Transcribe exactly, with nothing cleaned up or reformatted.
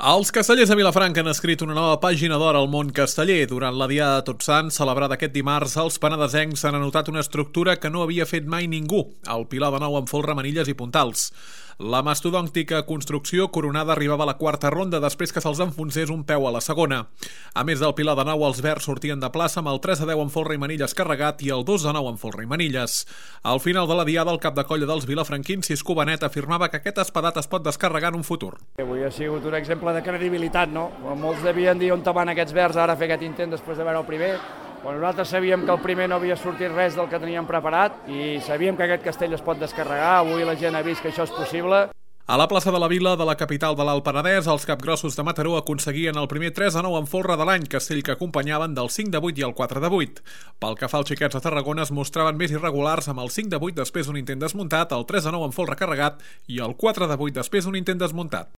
Els castellers de Vilafranca han escrit una nova pàgina d'or al món casteller. Durant la Diada de Tots Sants, celebrada aquest dimarts, els penedesencs han anotat una estructura que no havia fet mai ningú, el pilar de nou amb folre, manilles i puntals. La mastodòntica construcció coronada arribava a la quarta ronda després que se'ls enfonsés un peu a la segona. A més del pilar de nou, els verds sortien de plaça amb el tres a deu amb folre i manilles carregat i el dos a nou amb folre i manilles. Al final de la Diada, el cap de colla dels vilafranquins, Cisco Benet, afirmava que aquest espadat es pot descarregar en un futur. Avui ha sigut un exemple de credibilitat, no? Molts devien dir on van aquests verds ara a fer aquest intent després de veure el primer. Bueno, nosaltres sabíem que el primer no havia sortit res del que teníem preparat i sabíem que aquest castell es pot descarregar. Avui la gent ha vist que això és possible. A la plaça de la Vila de la capital de l'Alt Penedès, els capgrossos de Mataró aconseguien el primer tres a nou en folre de l'any, castell que acompanyaven del cinc de vuit i el quatre de vuit. Pel que fa als xiquets de Tarragona, es mostraven més irregulars amb el cinc de vuit després d'un intent desmuntat, el tres a nou en folre carregat i el quatre de vuit després d'un intent desmuntat.